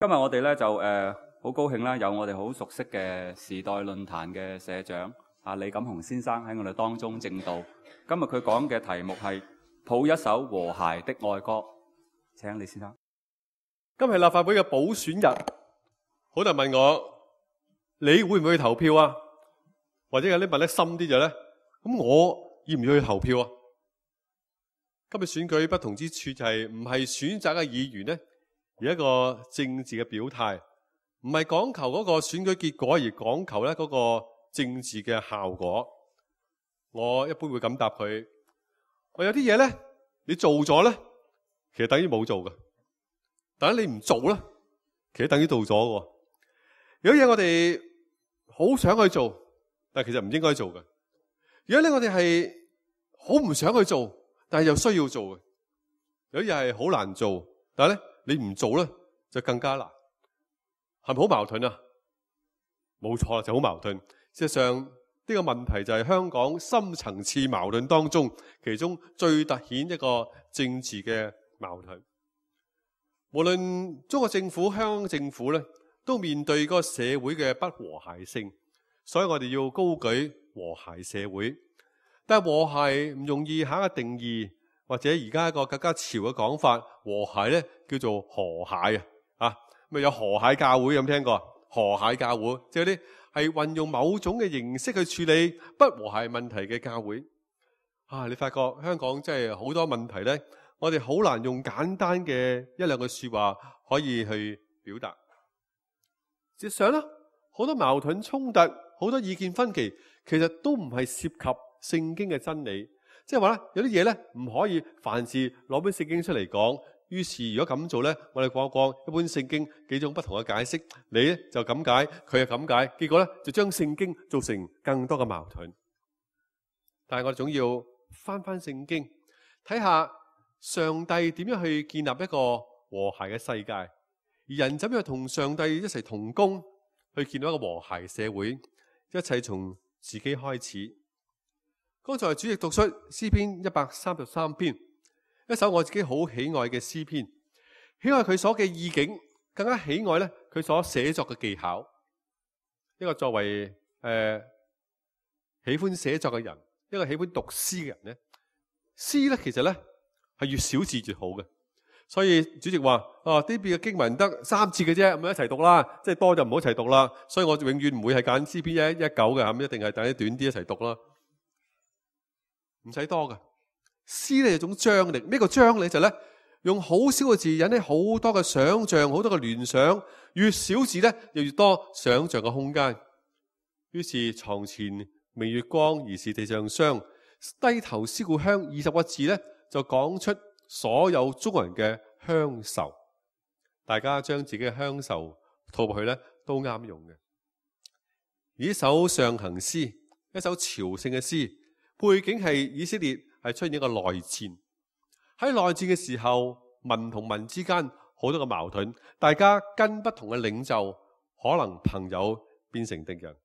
今日我哋咧就好高興啦，有我哋好熟悉嘅時代論壇嘅社長李錦雄先生喺我哋當中證道。今日佢講嘅題目係譜一首和諧的愛歌。請李先生。今日係立法會嘅補選日，好多人問我，你會唔會去投票啊？或者有啲問得深啲就咧，咁我要唔要去投票啊？今日選舉不同之處就係唔係選擇嘅議員咧，而一個政治嘅表態，唔係講求嗰個選舉結果，而講求咧嗰個政治嘅效果。我一般會咁答佢：我有啲嘢咧，你做咗咧，其實等於冇做嘅；但係你唔做咧，其實等於做咗嘅。有啲嘢我哋好想去做，但係其實唔應該做嘅。有啲咧我哋係好唔想去做，但係又需要做嘅。有啲嘢係好難做，但係咧你唔做咧就更加難，係咪好矛盾啊？冇錯啦，就好矛盾。事實上呢個問題就係香港深層次矛盾當中其中最凸顯一個政治嘅矛盾。無論中國政府、香港政府咧，都面對嗰個社會嘅不和諧性，所以我哋要高舉和諧社會。但係和諧唔容易下一個定義，或者而家一個更加潮嘅講法，和諧咧叫做和諧啊！咪有和諧教會，有冇聽過？和諧教會即係啲係運用某種嘅形式去處理不和諧問題嘅教會啊！你發覺香港真係好多問題咧，我哋好難用簡單嘅一兩句說話可以去表達。事實上咧，好多矛盾衝突，好多意見分歧，其實都唔係涉及聖經嘅真理。即係話咧，有啲嘢咧唔可以凡事攞本聖經出嚟講。於是如果咁做咧，我哋講一本聖經幾種不同嘅解釋，你咧就咁解，佢又咁解，結果咧就將聖經造成更多嘅矛盾。但係我哋總要翻聖經，睇下上帝點樣去建立一個和諧嘅世界，而人怎樣同上帝一齊同工去建立一個和諧社會。一切從自己開始。剛才主席讀出詩篇133篇，一首我自己好喜愛嘅詩篇，喜愛佢所嘅意境，更加喜愛咧佢所寫作嘅技巧。一個作為喜歡寫作嘅人，一個喜歡讀詩嘅人咧，詩咧其實咧係越少字越好嘅。所以主席話：呢邊嘅經文得3節嘅啫，咁一齊讀啦，即係多就唔好一齊讀啦。所以我永遠唔會係揀詩篇119嘅，咁一定係等啲短啲一齊讀啦，唔使多嘅。詩咧有種張力，咩個張力就咧用好少嘅字引起好多嘅想像，好多嘅聯想，越少字咧又越多想像嘅空間。於是床前明月光，疑是地上霜，低頭思故鄉20個字咧就講出所有中國人嘅鄉愁。大家將自己嘅鄉愁套入去咧都啱用嘅。而呢首上行詩，一首朝聖嘅詩，背景係以色列係出現一個內戰。喺內戰嘅時候，民同民之間好多嘅矛盾，大家跟不同嘅領袖，可能朋友變成敵人。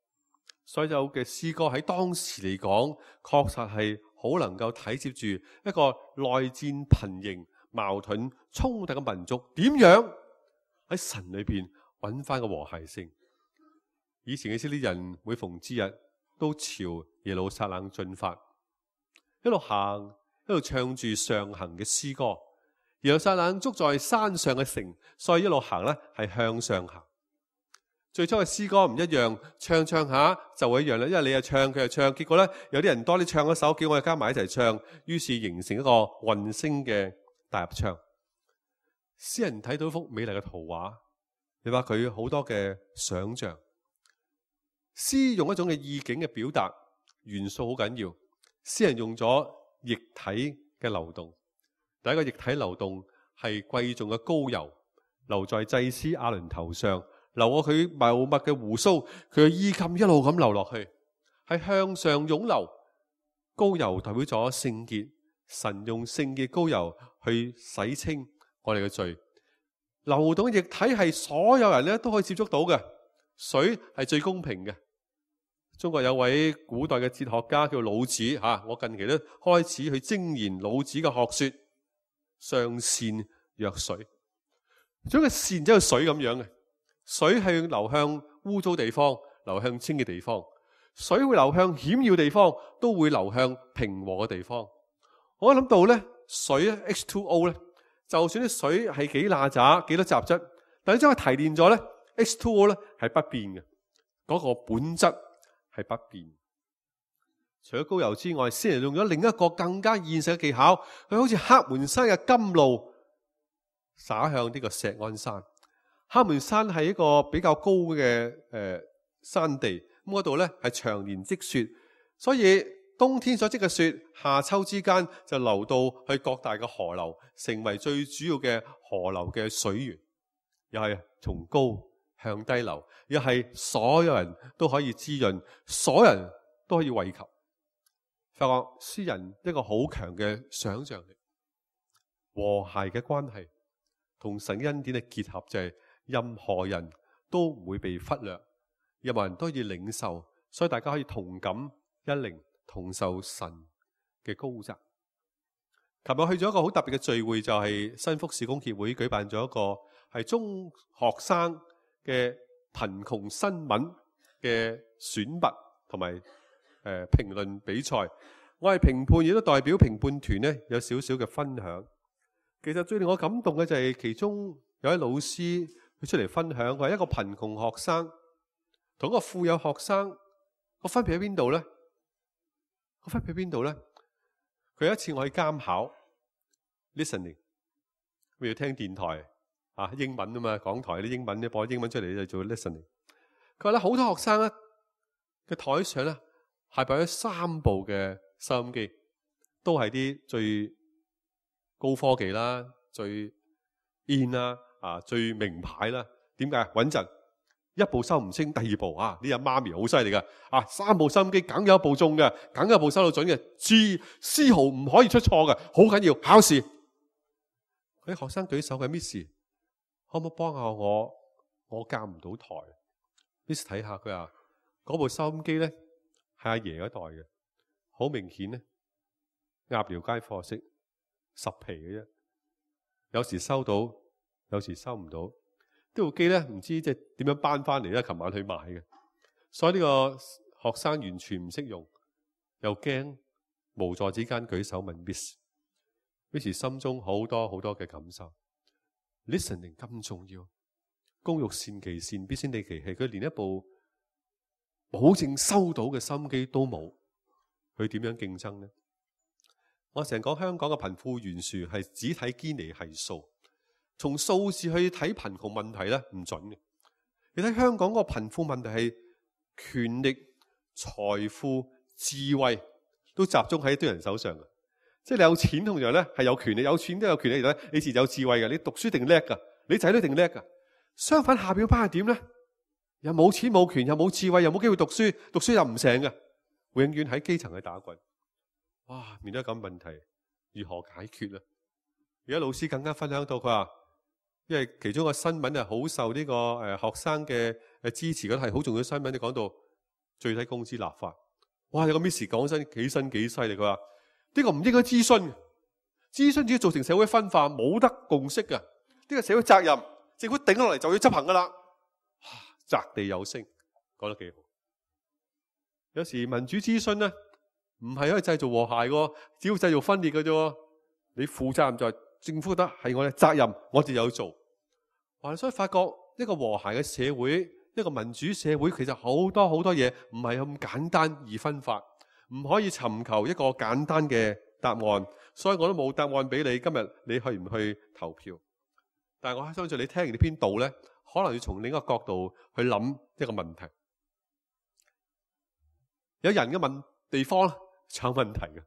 所有嘅詩歌喺當時嚟講，確實係好能夠體接住一個內戰頻仍、矛盾衝突嘅民族點樣喺神裏邊揾翻個和諧性。以前嘅啲人每逢節日都朝耶路撒冷進發，一路行一路唱住上行嘅詩歌。耶路撒冷築在山上嘅城，所以一路行咧係向上行。最初嘅詩歌唔一樣，唱下就會一樣啦，因為你又唱佢又唱，結果咧有啲人多啲唱一首，叫我哋加埋一齊唱，於是形成一個混聲嘅大合唱。詩人睇到一幅美麗嘅圖畫，你話佢好多嘅想象。詩用一種嘅意境嘅表達元素好緊要。詩人用咗液體嘅流動，第一個液體流動係貴重嘅膏油流在祭司亞倫頭上，流過佢茂密嘅鬍鬚，佢嘅衣襟一路咁流落去，係向上湧流。膏油代表咗聖潔，神用聖潔膏油去洗清我哋嘅罪。流動嘅液體係所有人咧都可以接觸到嘅，水係最公平嘅。中國有位古代嘅哲學家叫老子，我近期都開始去精研老子嘅學說，上善若水。將個線即係水咁樣嘅，水係流向污糟地方，流向清嘅地方；水會流向險要地方，都會流向平和嘅地方。我諗到咧，水咧 H2O 咧，就算啲水係幾邋遢、幾多雜質，但係將佢提煉咗咧 ，H2O 咧係不變嘅，嗰個本質係不變。除咗高油之外，先人用咗另一個更加現實嘅技巧，佢好似黑門山嘅甘露灑向呢個錫安山。黑門山係一個比較高嘅山地，咁嗰度咧係長年積雪，所以冬天所積嘅雪，夏秋之間就流到去各大嘅河流，成為最主要嘅河流嘅水源，又係從高向低流，又係所有人都可以滋潤，所有人都可以惠及。發覺詩人一個好強嘅想象力，和諧嘅關係，同神恩典嘅結合，就係任何人都唔會被忽略，任何人都要領受，所以大家可以同感一靈，同受神嘅高責。琴日去咗一個好特別嘅聚會，就係新福事工協會舉辦咗一個係中學生嘅貧窮新聞嘅選拔同埋評論比賽。我係評判，亦都代表評判團呢有少少嘅分享。其實最令我感動嘅就係其中有位老師佢出嚟分享，佢係一個貧窮學生同一個富有學生個分別喺邊度呢？個分別喺邊度呢？佢有一次我去監考 listening， 我要聽電台英文啊嘛，港台啲英文咧播英文出嚟就做 listening。佢話咧好多學生咧嘅台上咧係擺咗3部嘅收音機，都係啲最高科技啦、最 in 啦、最名牌啦。點解？穩陣，一部收唔清，第二部呢阿媽咪好犀利噶，3部收音機梗有一部中嘅，梗有一部收到準嘅，絲毫唔可以出錯嘅，好緊要。考試，佢啲學生舉手嘅 Miss， 可唔可以幫下我？我校唔到台。Miss 睇下，佢話嗰部收音機咧係阿爺嗰代嘅。好明顯咧，鴨寮街貨色10皮嘅啫，有時收到，有時收唔到。呢部機咧唔知即係點樣搬翻嚟咧，琴晚去買嘅，所以呢個學生完全唔識用，又驚，無助之間舉手問 Miss。Miss 心中好多好多嘅感受。Listening 咁重要，工欲善其事，必先利其器。佢連一部保證收到嘅收音機都冇。佢點樣競爭呢？我成日講香港嘅貧富懸殊係只睇堅尼係數，從數字去睇貧窮問題咧唔準嘅。你睇香港嗰個貧富問題係權力、財富、智慧都集中喺一堆人手上嘅。即係你有錢同樣咧係有權力，有錢都有權力咧，你自然有智慧嘅。你讀書定叻噶，你仔女定叻噶。相反下邊班係點咧？又冇錢冇權，又冇智慧，又冇機會讀書，讀書又唔成嘅。永遠喺基層去打滾，哇！面對咁問題，如何解決咧？而家老師更加分享到，佢話，因為其中一個新聞係好受呢個學生嘅支持，嗰係好重要嘅新聞。你講到最低工資立法，哇！有個 Miss 講真幾犀利，佢話呢個唔應該諮詢，諮詢只要造成社會分化，冇得共識嘅。呢個社會責任，政府頂落嚟就要執行噶啦。擲地有聲，講得幾好。有時民主諮詢咧，唔係可以製造和諧嘅，只要製造分裂嘅啫。你負責任就係政府覺得係我哋責任，我哋有做。所以發覺一個和諧嘅社會，一個民主社會，其實好多好多嘢唔係咁簡單而分法，唔可以尋求一個簡單嘅答案。所以我都冇答案俾你。今日你去唔去投票？但係我相信你聽完呢篇道咧，可能要從另一個角度去諗一個問題。有人嘅地方就有問題嘅，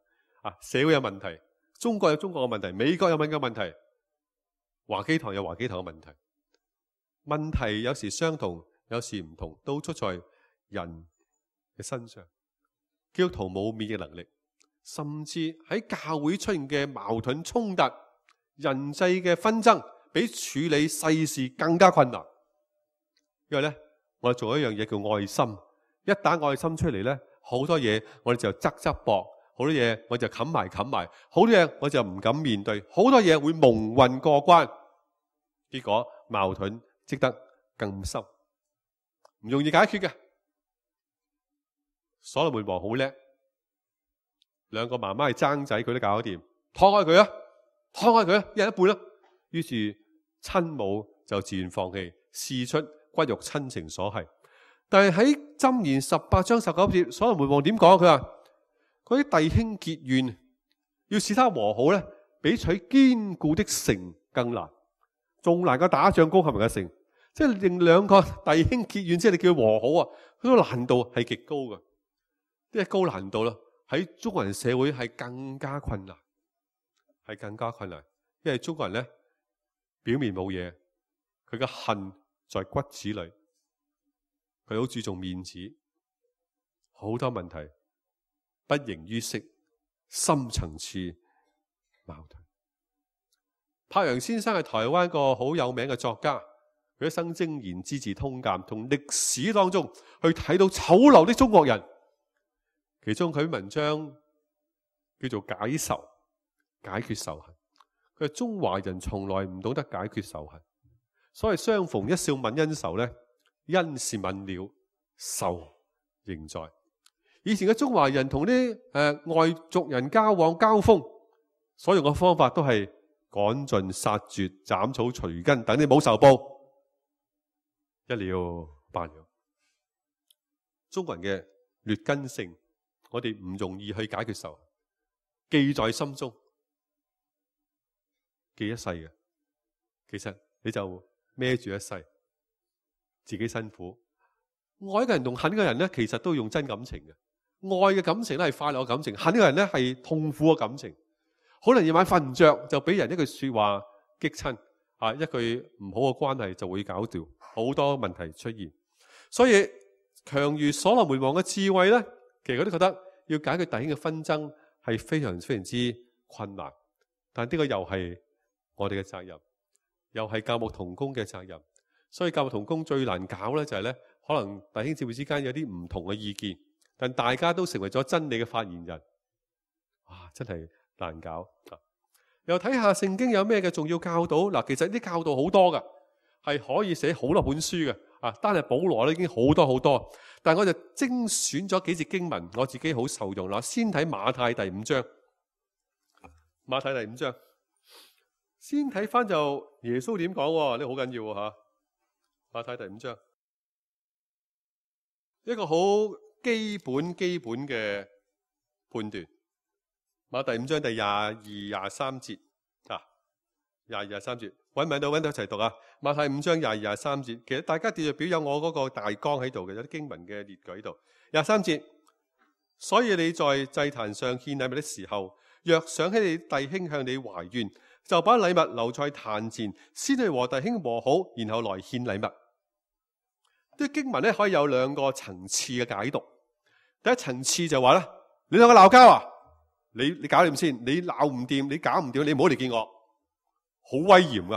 社會有問題，中國有中國嘅問題，美國有美國嘅問題，華基堂有華基堂嘅問題。問題有時相同，有時唔同，都出在人嘅身上。基督徒冇免疫能力，甚至喺教會出現嘅矛盾衝突、人際嘅紛爭，比處理世事更加困難。因為咧，我哋做一樣嘢叫愛心，一打愛心出嚟咧。好多嘢我哋就側膊，好多嘢我就冚埋，好多嘢我就唔敢面對，好多嘢會蒙混過關。結果矛盾積得更深，唔容易解決嘅。所羅門王好叻，兩個媽媽係爭仔，佢都搞得掂，拖開佢啊，拖開佢啊，一人一半啦。於是親母就自願放棄，試出骨肉親情所繫。但係喺箴言18章19節，所羅門王點講？佢話嗰啲弟兄結怨，要使他和好咧，比取堅固的城更難，仲難過打仗攻陷人嘅城。即係令兩個弟兄結怨，即係你叫佢和好啊，嗰個難度係極高嘅，即係高難度啦。喺中國人社會係更加困難，係更加困難，因為中國人咧表面冇嘢，佢嘅恨在骨子裏，佢好注重面子，好多問題不形於色，深層次矛盾。柏楊先生係台灣一個好有名嘅作家，佢一生精研資治通鑑，同歷史當中去睇到醜陋的中國人。其中佢文章叫做解仇，解決仇恨。佢話中華人從來唔懂得解決仇恨，所謂相逢一笑泯恩仇呢，恩是泯了，仇仍在。以前嘅中華人同啲外族人交往交鋒，所用嘅方法都係趕盡殺絕、斬草除根，等你冇仇報，一了百了。中國人嘅劣根性，我哋唔容易去解決仇，記在心中，記一世嘅。其實你就孭住一世，自己辛苦。愛嘅人同恨嘅人咧，其實都用真感情嘅。愛嘅感情咧係快樂嘅感情，恨嘅人咧係痛苦嘅感情。可能夜晚瞓唔着就俾人一句說話激親，一句唔好嘅關係就會搞掉好多問題出現。所以強如所羅門王嘅智慧咧，其實佢都覺得要解決弟兄嘅紛爭係非常非常之困難。但呢個又係我哋嘅責任，又係教牧同工嘅責任。所以教牧同工最難搞咧就係咧，可能弟兄姊妹之間有啲唔同嘅意見，但大家都成為咗真理嘅發言人，真係難搞。又睇下聖經有咩嘅重要教導。嗱，其實啲教導好多噶，係可以寫好多本書嘅。單係保羅咧已經好多好多，但係我就精選咗幾節經文，我自己好受用啦。先睇馬太第5章，馬太第5章，先睇翻就耶穌點講，呢好緊要吓。馬太第5章，一個好基本嘅判斷。馬太5章第22、23節22、23節，揾唔揾到一齊讀啊！馬太5章22、23節，其實大家列表有我嗰個大綱喺度嘅，有啲經文嘅列舉喺度。23節，所以你在祭壇上獻禮物的時候，若想起你弟兄向你懷怨，就把禮物留在壇前，先去和弟兄和好，然後來獻禮物。啲經文咧可以有兩個層次嘅解讀。第一層次就話咧，你兩個鬧交啊，你搞掂先，你鬧唔掂，你搞唔掂，你唔好嚟見我，好威嚴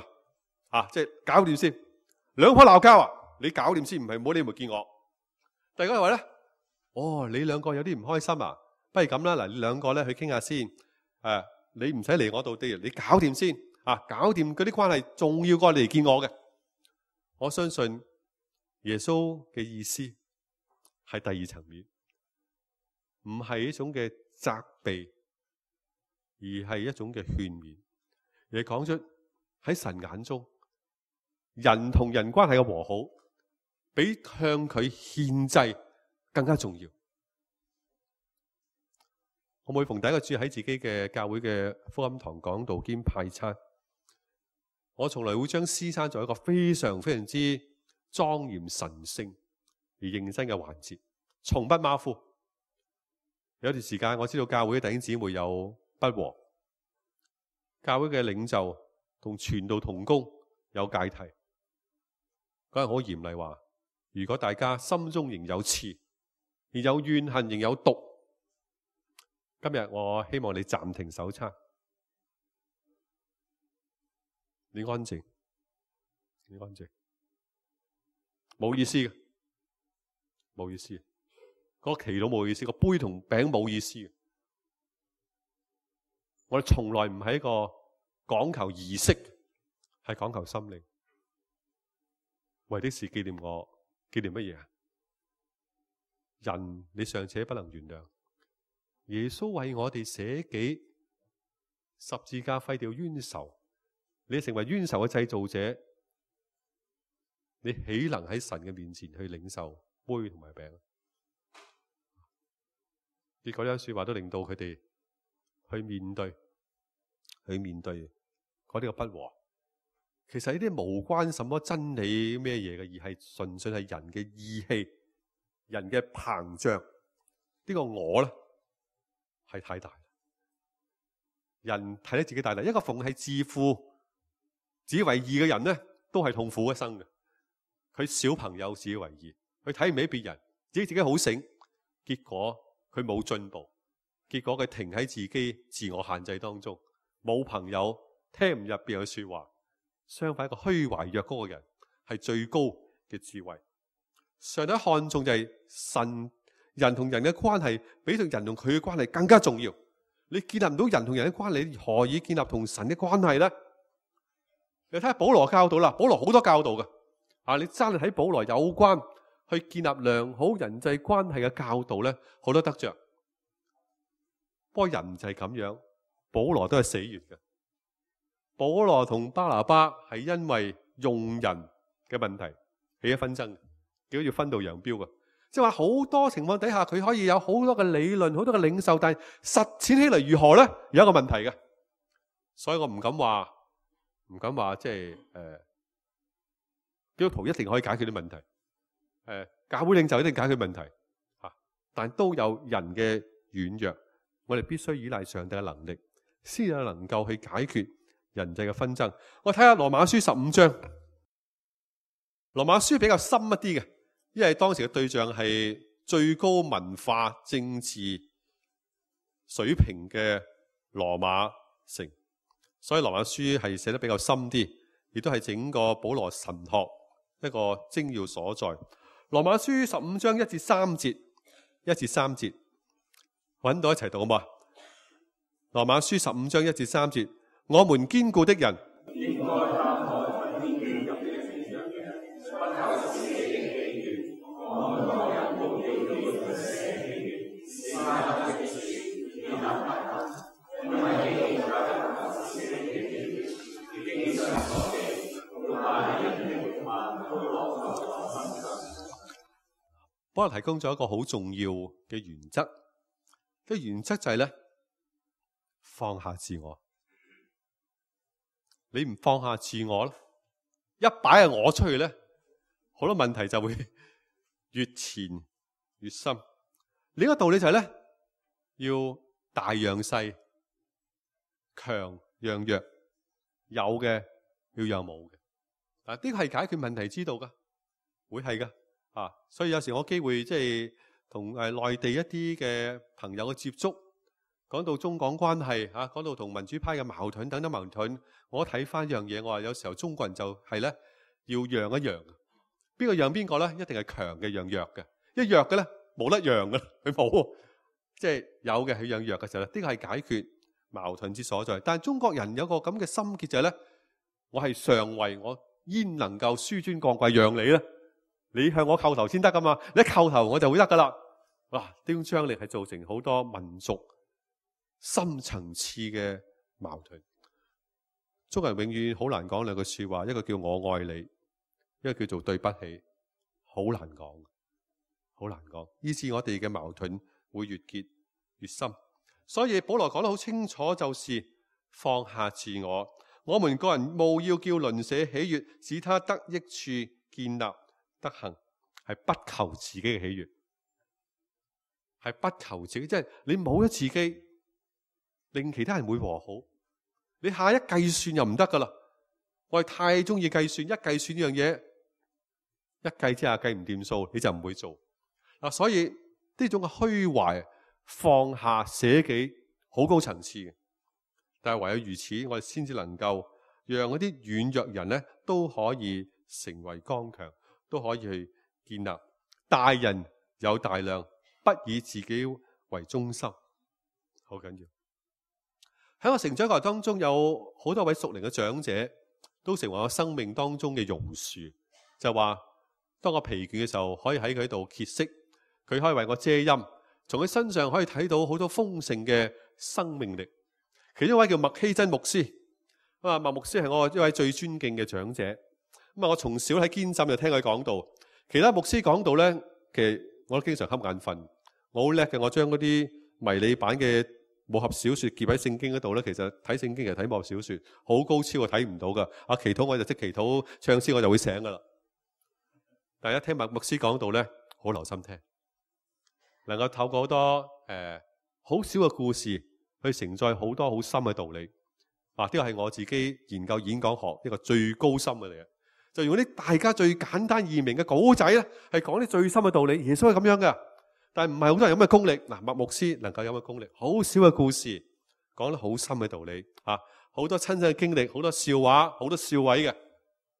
啊！即係搞掂先。兩個鬧交啊，你搞掂先，唔係唔好你咪見我。第二個話咧，你兩個有啲唔開心啊，不如咁啦，嗱，你兩個咧去傾下先。你唔使嚟我度啲，你搞掂先搞掂嗰啲關係，重要過你嚟見我嘅。我相信耶穌嘅意思係第二層面，唔係一種嘅責備，而係一種嘅勸勉。而係講出喺神眼中，人同人關係嘅和好，比向佢獻祭更加重要。我每逢第一個主日喺自己嘅教會嘅福音堂講道兼派餐，我從來會將詩餐作一個非常非常之莊嚴神聖而認真嘅環節，從不馬虎。有段時間我知道教會嘅弟兄姊妹有不和，教會嘅領袖同傳道同工有芥蒂，嗰日好嚴厲話，如果大家心中仍有刺，而有怨恨仍有毒，今日我希望你暫停守餐，你安靜，你安靜，冇意思嘅，冇意思，嗰個祈禱冇意思，個杯同餅冇意思嘅。我哋從來唔係一個講求儀式，係講求心靈。為的是紀念我，紀念乜嘢啊？人你尚且不能原諒，耶穌為我哋捨己，十字架廢掉冤仇，你成為冤仇嘅製造者，你豈能喺神嘅面前去領受杯同埋餅？結果呢句說話都令到佢哋去面對嗰啲嘅不和。其實呢啲無關什麼真理咩嘢嘅，而係純粹係人嘅意氣、人嘅膨脹。呢個我咧係太大，人睇得自己大大。一個逢係自負、自以為義嘅人咧，都係痛苦一生嘅。佢小朋友自以為義，佢睇唔起別人，自己好醒，結果佢冇進步，結果佢停喺自己自我限制當中，冇朋友，聽唔入別人嘅說話。相反，一個虛懷若谷嘅人係最高嘅智慧。上帝看重就係人同人嘅關係，比同人同佢嘅關係更加重要。你建立唔到人同人嘅關係，你何以建立同神嘅關係呢？你睇下保羅教導啦，保羅好多教導嘅。你真係睇保羅有關去建立良好人際關係嘅教導咧，好多得着。不過人就係咁樣，保羅都係死完嘅。保羅同巴拿巴係因為用人嘅問題起咗紛爭，結果要分道揚鑣嘅。即係話好多情況底下，佢可以有好多嘅理論、好多嘅領袖，但係實踐起嚟如何咧？有一個問題嘅。所以我唔敢話即係基督徒一定可以解決啲問題。教會領袖一定解決問題，但都有人嘅軟弱，我哋必須依賴上帝嘅能力，先有能夠去解決人際嘅紛爭。我睇下羅馬書15章，羅馬書比較深一啲嘅，因為當時嘅對象係最高文化政治水平嘅羅馬城，所以羅馬書係寫得比較深啲，亦都係整個保羅神學一個精要所在。羅馬書15章1至3節，揾到一齊讀好嘛？羅馬書15章1至3節，我們堅固的人，保羅提供咗一個好重要嘅原則，個原則就係咧，放下自我。你唔放下自我咧，一擺係我出去咧，好多問題就會越纏越深。另一個道理就係咧，要大讓細，強讓弱，有嘅要讓冇嘅。呢個係解決問題之道噶，會係噶。所以有時我機會即係同內地一啲嘅朋友嘅接觸，講到中港關係，講到同民主派嘅矛盾等等矛盾，我睇翻一樣嘢，我話有時候中國人就係咧要讓一讓，邊個讓邊個咧？一定係強嘅讓弱嘅，一弱嘅咧冇得讓嘅，佢冇，即係有嘅去讓弱嘅時候咧，呢個係解決矛盾之所在。但係中國人有個咁嘅心結就係咧，我係上位，我焉能夠紆尊降貴讓你咧？你向我叩頭先得噶嘛？你一叩頭我就會得噶啦。哇！呢種張力係造成好多民族深層次嘅矛盾。中國人永遠好難講兩句說話，一個叫我愛你，一個叫做對不起，好難講，好難講。以致我哋嘅矛盾會越結越深。所以保羅講得好清楚，就是放下自我。我們個人務要叫鄰舍喜悅，使他得益處，建立德行，係不求自己嘅喜悅，係不求自己，即係你冇咗自己，令其他人會和好。你下一計算又唔得噶啦，我係太中意計算，一計算呢樣嘢，一計之下計唔掂數，你就唔會做。所以呢種嘅虛懷、放下、捨己，好高層次嘅。但係唯有如此，我哋先至能夠讓嗰啲軟弱人咧都可以成為剛強。都可以去建立。大人有大量，不以自己為中心，好緊要。喺我成長過程當中，有好多位屬靈嘅長者，都成為我生命當中嘅榕樹，就話當我疲倦嘅時候，可以喺佢度歇息，佢可以為我遮陰，從佢身上可以睇到好多豐盛嘅生命力。其中一位叫麥希真牧師，麥牧師係我一位最尊敬嘅長者。我從小喺堅浸就聽佢講道，其他牧師講道咧，其實我都經常瞌眼瞓。我好叻嘅，我將嗰啲迷你版嘅武俠小說夾喺聖經嗰度咧，其實睇聖經其實睇武俠小說好高超，我睇唔到噶。祈禱我就即祈禱，唱詩我就會醒噶啦。但係一聽麥牧師講道咧，好留心聽，能夠透過好多好少嘅故事去承載好多好深嘅道理。呢個係我自己研究演講學一個最高深嘅嚟嘅，就用啲大家最簡單易明嘅稿仔咧，係講啲最深嘅道理。耶穌係咁樣嘅。但係唔係好多人有咁嘅功力。麥牧師能夠有咁嘅功力，好少嘅故事講得好深嘅道理，好多親身嘅經歷，好多笑話，好多笑位嘅，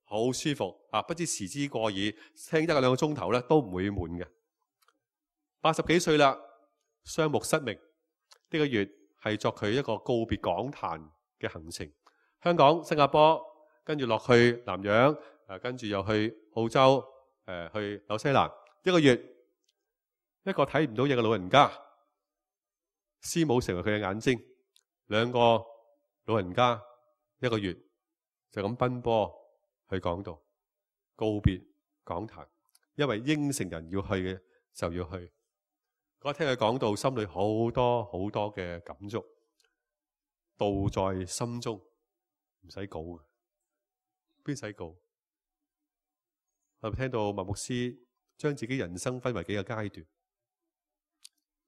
好舒服，不知時之過矣，聽1-2個鐘頭咧都唔會悶嘅。80幾歲啦，雙目失明，呢個月係作佢一個告別講壇嘅行程，香港、新加坡，跟住落去南洋，跟住又去澳洲，去紐西蘭，一個月。一個睇唔到嘢嘅老人家，師母成為佢嘅眼睛，2個老人家一個月就咁奔波去講道，告別講壇，因為應承人要去嘅就要去。我聽佢講道，心裏好多好多嘅感觸，道在心中，唔使稿嘅，邊使稿？我聽到麥牧師將自己人生分為幾個階段。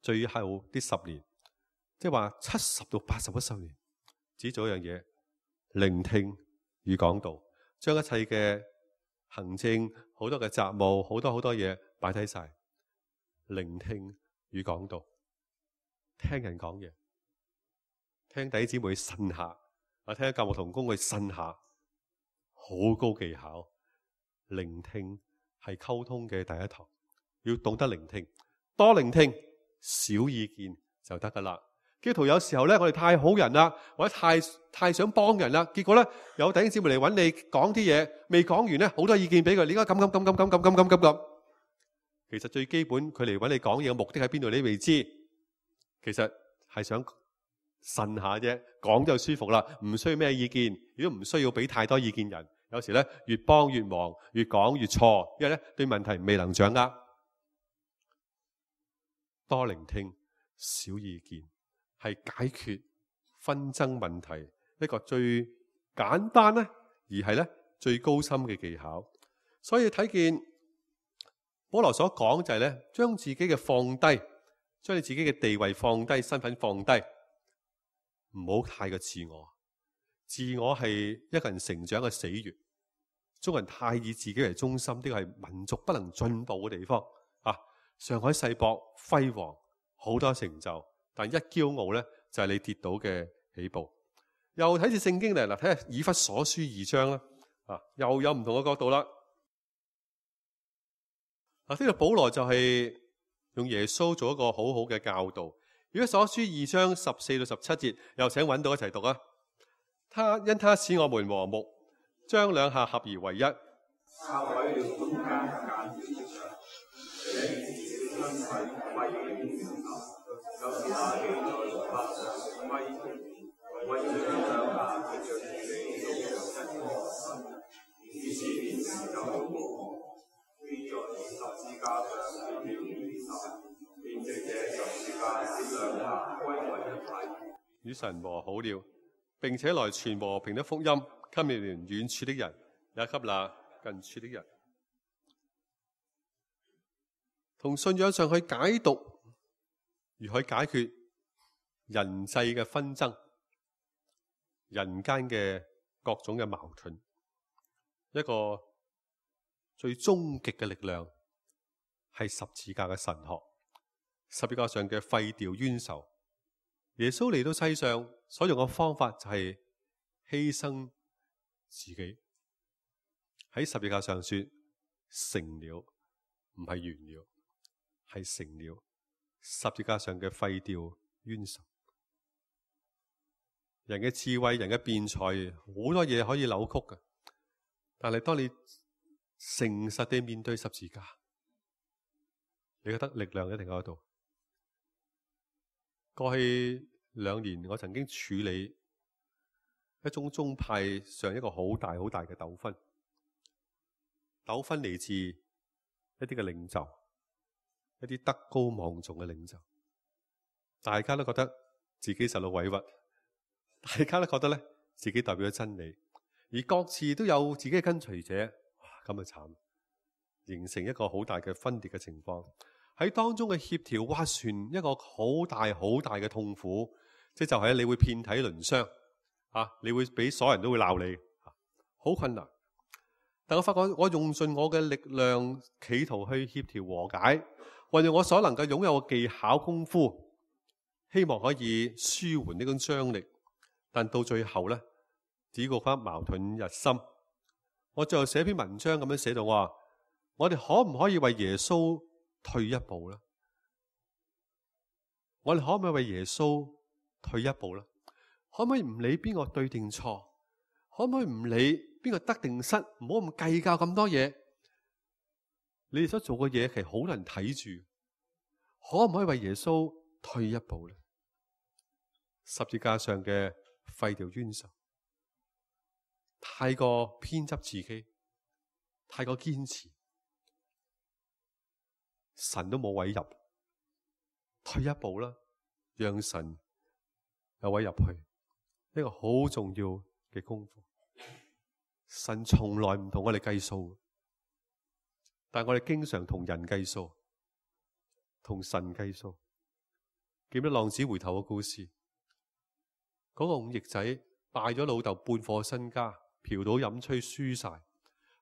最後啲10年，即係話70到80年，只做一樣嘢，聆聽與講道，將一切嘅行政、好多嘅雜務、好多嘢擺低晒，聆聽與講道，聽人講嘢，聽弟兄姊妹呻下，我聽教牧同工去呻下，好高技巧。聆聽係溝通嘅第一堂，要懂得聆聽，多聆聽。少意見就得噶啦。基督徒有時候咧，我哋太好人啦，或者太想幫人啦，結果咧有弟兄姊妹嚟揾你講啲嘢，未講完咧，好多意見俾佢，你應該咁。其實最基本，佢嚟揾你講嘢嘅目的喺邊度，你未知。其實係想呻下啫，講就舒服啦，唔需要咩意見，亦都唔需要俾太多意見人。有時咧越幫越忙，越講越錯，因為咧對問題未能掌握。多聆聽，少意見，係解決紛爭問題一個最簡單咧，而係咧最高深嘅技巧。所以睇見保羅所講就係咧，將自己嘅放低，將你自己嘅地位放低，身份放低，唔好太過自我。自我係一個人成長嘅死穴。中國人太以自己為中心，呢個係民族不能進步嘅地方。上海世博輝煌，好多成就，但一驕傲咧就係你跌倒嘅起步。又睇住聖經嚟，睇下以弗所書2章啦，又有唔同嘅角度啦。呢個保羅就係用耶穌做一個好好嘅教導。以弗所書2章14到17節，又請揾到一齊讀啊。因他使我們和睦，將兩下合而為一。與神和好了，並且來傳和平的福音，給你們遠處的人，也給那近處的人。同信仰上去解讀，如何解決人際嘅紛爭、人間嘅各種嘅矛盾，一個最終極嘅力量係十字架嘅神學。十字架上嘅廢掉冤仇，耶穌嚟到世上所用嘅方法就係犧牲自己，喺十字架上說成了，唔係完了，係成了。十字架上嘅廢掉冤仇，人嘅智慧、人嘅辯才，好多嘢可以扭曲嘅。但係當你誠實地面對十字架，你覺得力量一定喺度。過去2年，我曾經處理一種宗派上一個好大嘅糾紛。糾紛嚟自一啲嘅領袖，一啲德高望重嘅領袖，大家都覺得自己受到委屈，大家都覺得咧自己代表咗真理，而各自都有自己嘅跟隨者，咁啊慘，形成一個好大嘅分裂嘅情況。喺當中嘅協調斡旋，一個好大嘅痛苦，即就係你會遍體鱗傷，你會俾所有人都會鬧你，好困難。但我發覺我用盡我嘅力量，企圖去協調和解，運用我所能夠擁有嘅技巧功夫，希望可以舒緩呢種張力。但到最後呢，只覺得矛盾日深。我最後寫篇文章咁樣寫到，我話我哋可唔可以為耶穌退一步呢？我哋可唔可以為耶穌退一步呢？可唔可以唔理邊個對定錯？可唔可以唔理邊個得定失？唔好咁計較咁多嘢。你哋所做嘅嘢其實好多人睇住，可唔可以為耶穌退一步呢？十字架上嘅廢掉冤仇，太過偏執自己，太過堅持，神都冇位入，退一步啦，讓神有位入去，呢個好重要嘅功夫。神從來唔同我哋計數，但係我哋經常同人計數，同神計數。記得浪子回頭嘅故事，嗰個5翼仔敗咗老豆半顆身家，嫖賭飲吹輸晒，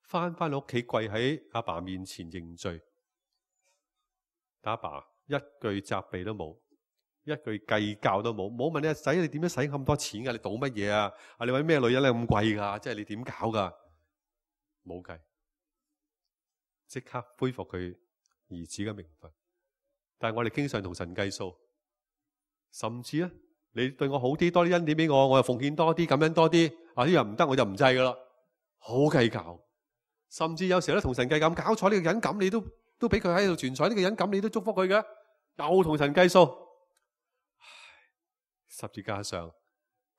翻到屋企跪喺阿爸面前認罪，但阿爸一句責備都冇，一句計較都冇，冇問你阿仔你點樣使咁多錢噶？你賭乜嘢啊？你搵咩女人咁貴噶？即係你點搞噶？冇計，即刻恢復佢兒子嘅名分。但係我哋經常同神計數，甚至咧，你對我好啲，多啲恩典俾我，我又奉獻多啲，感恩多啲。呢樣唔得，我就唔制噶啦，好計較。甚至有時咧同神計較，搞錯呢個人咁，你都俾佢喺度存在，呢個人咁，你都祝福佢嘅，又同神計數。十字架上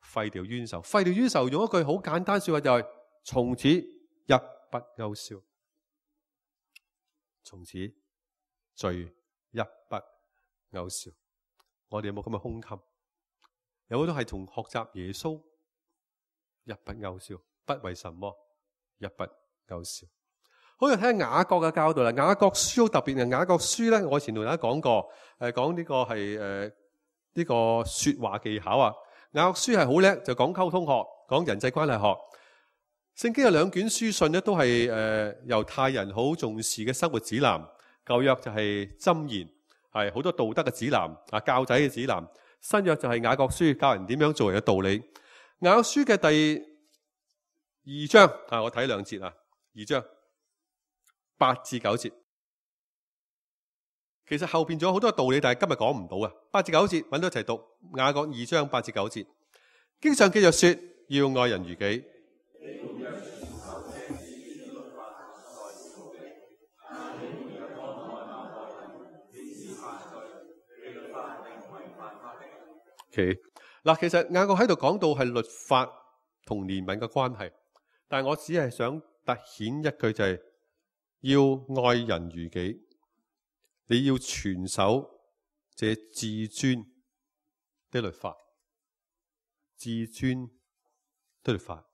廢掉冤仇，廢掉冤仇用一句好簡單說話就係從此一筆勾銷，從此罪一筆勾銷。我哋有冇咁嘅胸襟？有好多係同學習耶穌一筆勾銷，不為什麼一筆勾銷。好，睇下雅各嘅教導啦。雅各書好特別嘅，雅各書咧，我以前同大家講過，講呢個係呢個說話技巧啊。雅各書係好叻，就講溝通學，講人際關係學。聖經有2卷書信咧，都係猶太人好重視嘅生活指南。舊約就係箴言，係好多道德嘅指南啊，教仔嘅指南。新約就係雅各書，教人點樣做人嘅道理。雅各書嘅第2章我睇2節啊，2章8至9節。其實後邊仲有好多道理，但係今日講唔到啊。8至9節揾到一齊讀。雅各2章8至9節，經上記着說，要愛人如己。嗱，其實雅各喺度講到係律法同憐憫嘅關係，但係我只係想凸顯一句就係要愛人如己。你要全守這至尊的律法，至尊的律法，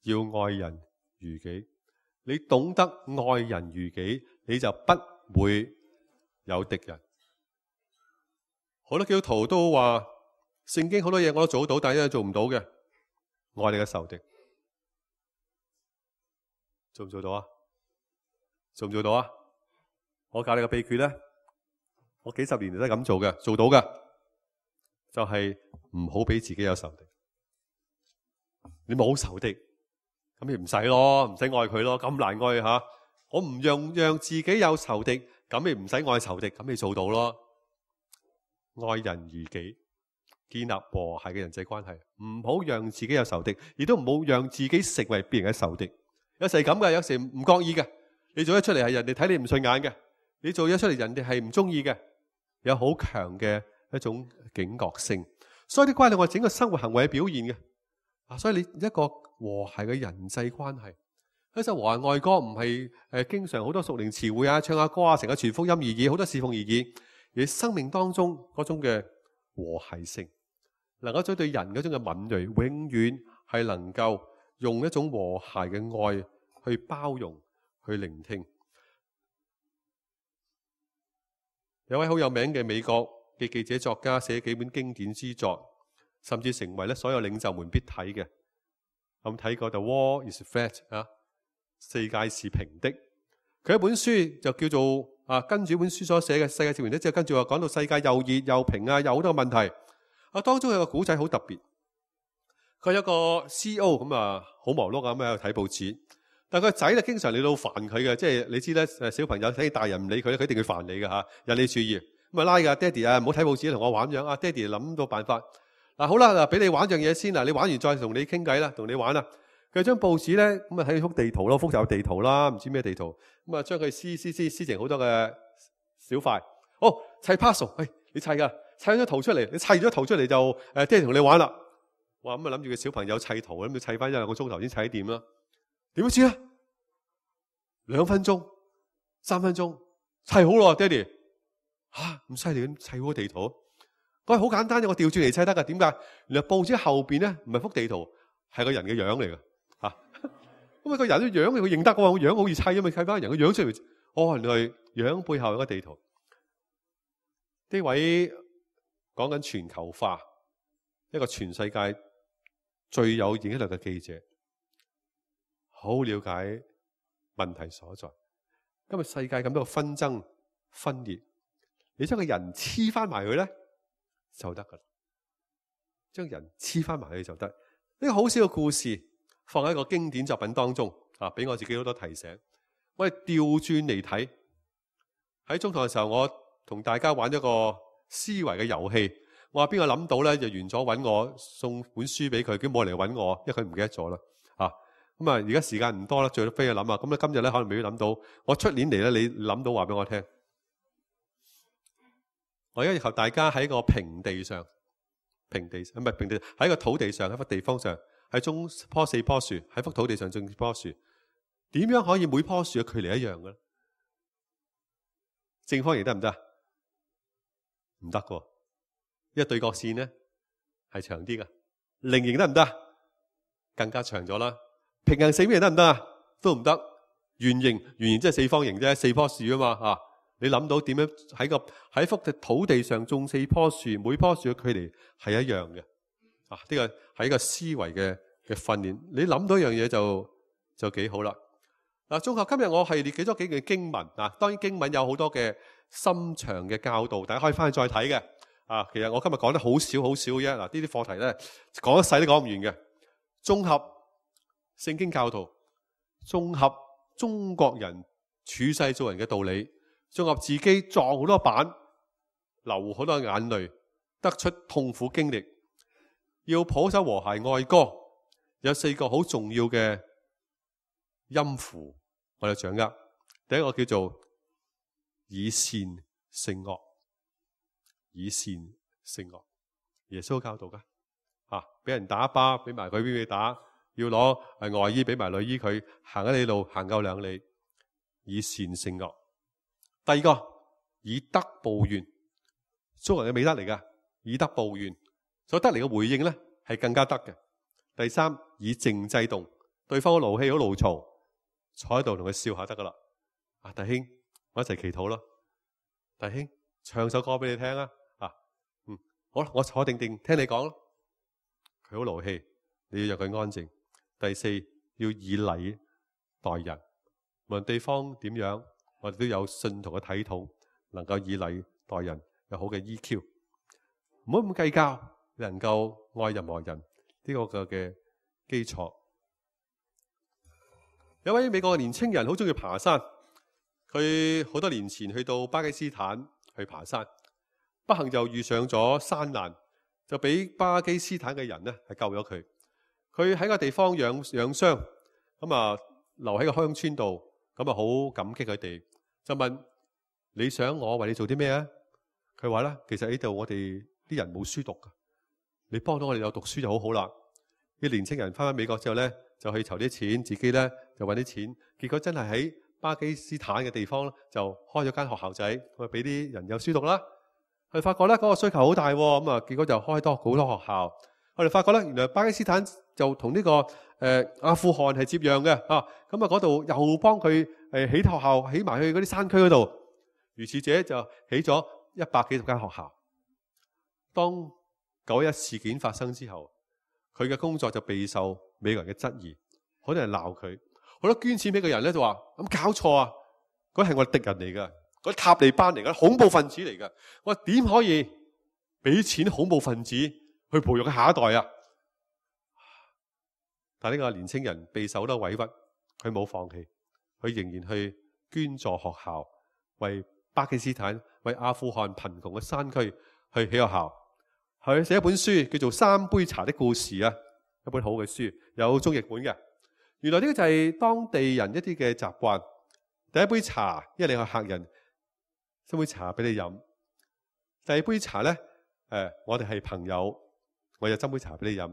要愛人如己。你懂得愛人如己，你就不會有敵人。好多基督徒都話聖經好多嘢我都做到，但係一樣做唔到嘅，愛你嘅仇敵，做唔做到啊？做唔做到啊？我教你個秘訣咧，我幾十年嚟都係咁做嘅，做到嘅就係唔好俾自己有仇敵。你冇仇敵，咁你唔使咯，唔使愛佢咯，咁難愛吓。我唔讓自己有仇敵，咁你唔使愛仇敵，咁你做到咯。愛人如己，建立和諧嘅人際關係，唔好讓自己有仇敵，亦都唔好讓自己成為別人嘅仇敵。有時係咁嘅，有時唔覺意嘅。你做咗出嚟係人哋睇你唔順眼嘅，你做咗出嚟人哋係唔中意嘅，有好強嘅一種警覺性。所以啲關係我整個生活行為嘅表現嘅。所以你一個和諧嘅人際關係，一首和諧愛歌唔係經常好多屬靈詞彙啊，唱下歌啊，成個傳福音而已，好多侍奉而已。而生命當中嗰種嘅和諧性，能夠將對人嗰種嘅敏銳，永遠係能夠用一種和諧嘅愛去包容、去聆聽。有位好有名嘅美國嘅記者作家寫幾本經典之作，甚至成為咧所有領袖們必睇嘅。咁睇過《The War is Flat》啊，世界是平的。佢一本書就叫做跟住本書所寫嘅世界是平的，之後跟住話講到世界又熱又平啊，有好多問題。當中有個古仔好特別，佢有個 CEO 咁好忙碌咁喺度睇報紙，但係佢個仔咧經常嚟到煩佢嘅，即係你知咧小朋友睇大人唔理佢咧，佢一定會煩你嘅嚇，引你注意咁拉㗎，爹哋唔好睇報紙同我玩樣啊，爹哋諗到辦法好啦，嗱俾你玩樣嘢先啦，你玩完再同你傾偈啦，同你玩啦。佢將報紙咧咁睇幅地圖咯，複雜地圖啦，唔知咩地圖咁將佢撕成好多嘅小塊，砌 puzzle，你砌㗎。砌咗圖出嚟，你砌咗圖出嚟就爹哋同你玩啦。哇，咁諗住個小朋友砌圖，諗住砌翻1-2個鐘頭先砌掂啦。點知啊？2分鐘、3分鐘砌好咯，爹哋咁犀利咁砌好個地圖。佢好簡單嘅，我調轉嚟砌得噶。點解？原來報紙後邊咧唔係幅地圖，係個人嘅樣嚟噶吓。咁個人嘅樣佢認得嘅喎，個樣好易砌啊嘛，砌翻人嘅樣出嚟。原來樣背後有個地圖。呢位講緊全球化，一個全世界最有影響力嘅記者，好了解問題所在。今日世界咁多紛爭分裂，你將個人黐翻埋佢咧就得噶啦，將人黐翻埋佢就得。呢個好少嘅故事放喺一個經典作品當中俾我自己好多提醒。我哋調轉嚟睇，喺中堂嘅時候，我同大家玩一個思維嘅遊戲，我話邊個諗到咧就完咗揾我送本書俾佢，佢冇嚟揾我，因為佢唔記得咗啦。咁而家時間唔多啦，最多飛去諗啊。咁咧今日咧可能未必諗到，我出年嚟咧你諗到話俾我聽。我而家要求大家喺個平地上，平地唔係平地，喺個土地上，喺幅地方上，喺種棵4棵樹，喺幅土地上種4棵樹，點樣可以每棵樹嘅距離一樣嘅咧？正方形得唔得？唔得嘅，因為對角線咧係長啲嘅。菱形得唔得？更加長咗啦。平行四邊形得唔得啊？都唔得。圓形即係4方形啫，4棵樹啊嘛。你諗到點樣喺幅土地上種4棵樹，每棵樹嘅距離係一樣嘅。呢個係一個思維嘅訓練。你諗到一樣嘢就幾好啦。綜合今日我係列舉咗幾句經文。當然經文有好多嘅深長嘅教導，大家可以翻去再睇嘅。其實我今日講得好少啫。呢啲課題咧講一世都講唔完嘅。綜合聖經教導，綜合中國人處世做人嘅道理，綜合自己撞好多板，流好多眼淚，得出痛苦經歷，要譜首和諧愛歌，有4個好重要嘅音符，我哋掌握。第一個叫做以善勝惡，以善勝惡，耶穌教導噶。俾人打一巴，俾埋佢俾佢打，要攞外衣俾埋內衣佢，行一里路行夠2里，以善勝惡。第二個以德報怨，中國人嘅美德嚟噶，以德報怨，所得嚟嘅回應咧係更加得嘅。第三，以靜制動，對方好勞氣好勞嘈，坐喺度同佢笑下得噶啦。弟兄，我一齊祈禱咯。弟兄，唱首歌俾你聽啊。好啦，我坐定定聽你講咯。佢好勞氣，你要讓佢安靜。第四，要以禮待人，無論對方點樣，我哋都有信徒嘅體統，能夠以禮待人，有好嘅 EQ， 唔好咁計較，能夠愛任何人，呢個嘅基礎。有位美國嘅年青人好中意爬山，佢好多年前去到巴基斯坦去爬山，不幸就遇上咗山難，就俾巴基斯坦嘅人咧係救咗佢。佢喺個地方養傷，咁留喺個鄉村度，咁啊好感激佢哋，就問你想我為你做啲咩啊？佢話咧，其實呢度我哋啲人冇書讀噶，你幫到我哋有讀書就好好啦。啲年青人翻返美國之後咧，就去籌啲錢，自己咧就揾啲錢，結果真係喺巴基斯坦嘅地方就開咗間學校仔，咁啊俾啲人有書讀啦。佢發覺咧嗰個需求好大，咁啊結果就開多好多學校。我哋發覺咧，原來巴基斯坦就同呢個阿富汗係接壤嘅啊，咁啊嗰度又幫佢起學校，起埋去嗰啲山區嗰度。如是者就起咗100幾十間學校。當911事件發生之後，佢嘅工作就備受美國人嘅質疑，好多人鬧佢，好多捐錢俾嘅人咧就話：咁搞錯啊！嗰係我哋敵人嚟㗎，嗰啲塔利班嚟㗎，恐怖分子嚟㗎。我話點可以俾錢恐怖分子去培育佢下一代啊？但呢個年青人備受好多委屈，佢冇放棄，佢仍然去捐助學校，為巴基斯坦、為阿富汗貧窮嘅山區去起學校。佢寫一本書叫做《三杯茶的故事》啊，一本好嘅書，有中譯本嘅。原來呢個就係當地人一啲嘅習慣。第一杯茶，因為你係客人，斟杯茶俾你飲。第二杯茶咧，我哋係朋友，我就斟杯茶俾你飲。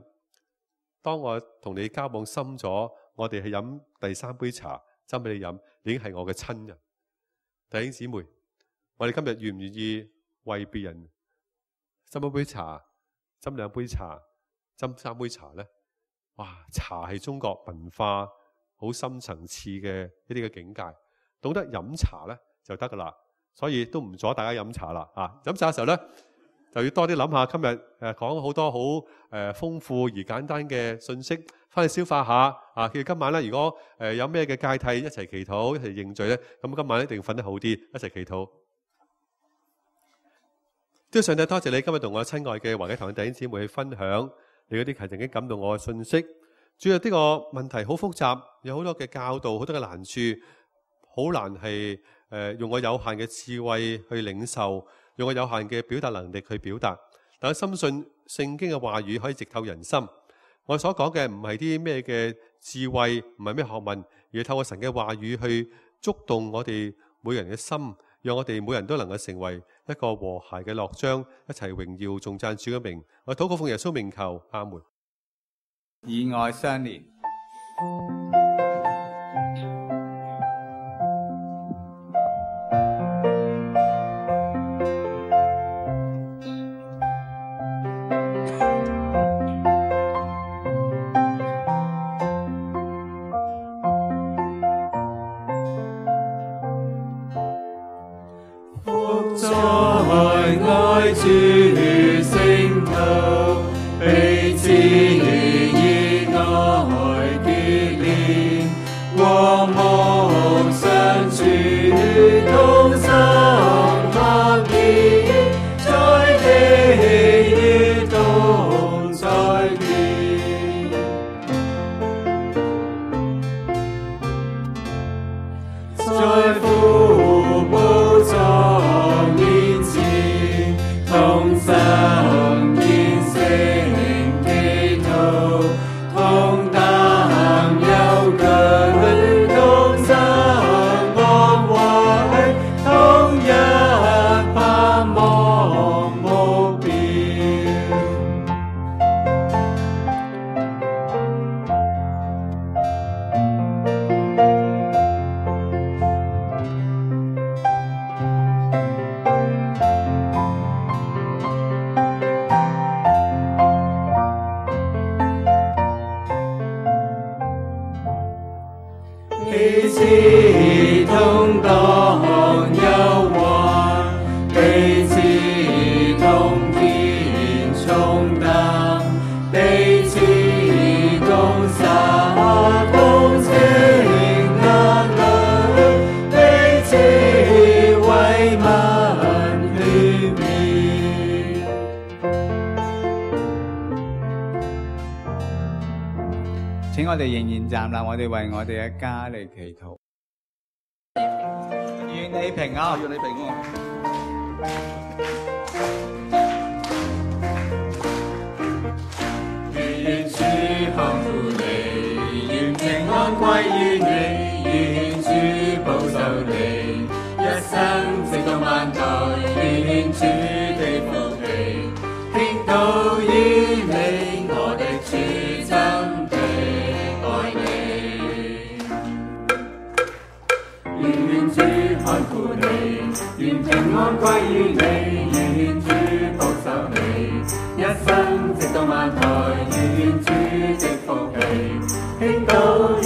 當我同你交往深咗，我哋去飲第3杯茶，斟俾你飲，已經係我嘅親人。弟兄姊妹，我哋今日願唔願意為別人斟一杯茶，斟2杯茶，斟3杯茶呢？哇！茶係中國文化好深層次嘅一啲嘅境界，懂得飲茶呢就得噶啦。所以都唔阻大家飲茶啦。飲茶嘅時候呢，就要多啲諗下今日講好多好豐富而簡單嘅信息，翻去消化下。叫今晚呢，如果有咩嘅芥蒂，一齊祈禱，一齊認罪呢，咁今晚一定要瞓得好啲，一齊祈禱。都上帝多謝你今日同我親愛嘅華基堂弟兄姊妹去分享你嗰啲係曾經感動我嘅信息。主要呢個問題好複雜，有好多嘅教導，好多嘅難處，好難係用我有限嘅智慧去領受，用我有限嘅表達能力去表達。但我深信聖經嘅話語可以直透人心。我所講嘅唔係啲咩嘅智慧，唔係咩學問，而係透過神嘅話語去觸動我哋每人嘅心，讓我哋每人都能夠成為一個和諧嘅樂章，一齊榮耀頌讚主嘅名。我禱告奉耶穌名求，阿門。以愛相連。主聖徒彼此以愛結連，和睦相處，同心合意，在喜悅同在天。在父寶座面前，同心虔誠祈禱，同擔憂懼，同心安慰，同一盼望目標。彼此同當憂患，彼此同肩重擔，彼此共灑同情眼淚，彼此慰問勸勉。請我哋仍然站立，我哋為我哋嘅家嚟祈禱。願你平安，願你平安。願主看顧你，願平安歸於你。生直到萬代，願主的福氣傾倒於你，我的主真的愛你。願主看顧你，願平安歸於你，願主保守你，一生直到萬代，願主的福氣傾倒於